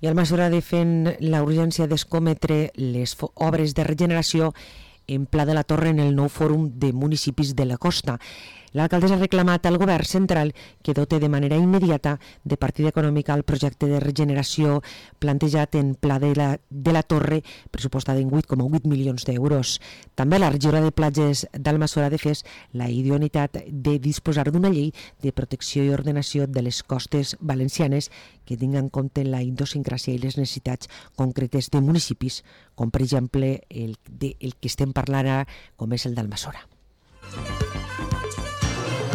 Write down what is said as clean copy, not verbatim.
I Almassora defen la urgència d'escometre les obres de regeneració en Pla de la Torre en el nou fòrum de municipis de la costa. L'alcaldessa ha reclamat al govern central que dote de manera immediata de partida econòmica el projecte de regeneració plantejat en Pla de la Torre, pressupostat en 8,8 milions d'euros. També la regidora de platges d'Almassora ha defès la idoneïtat de disposar d'una llei de protecció i ordenació de les costes valencianes que tingui en compte la idiosincràsia i les necessitats concretes de municipis, com per exemple el que estem parlant ara, com és el d'Almassora.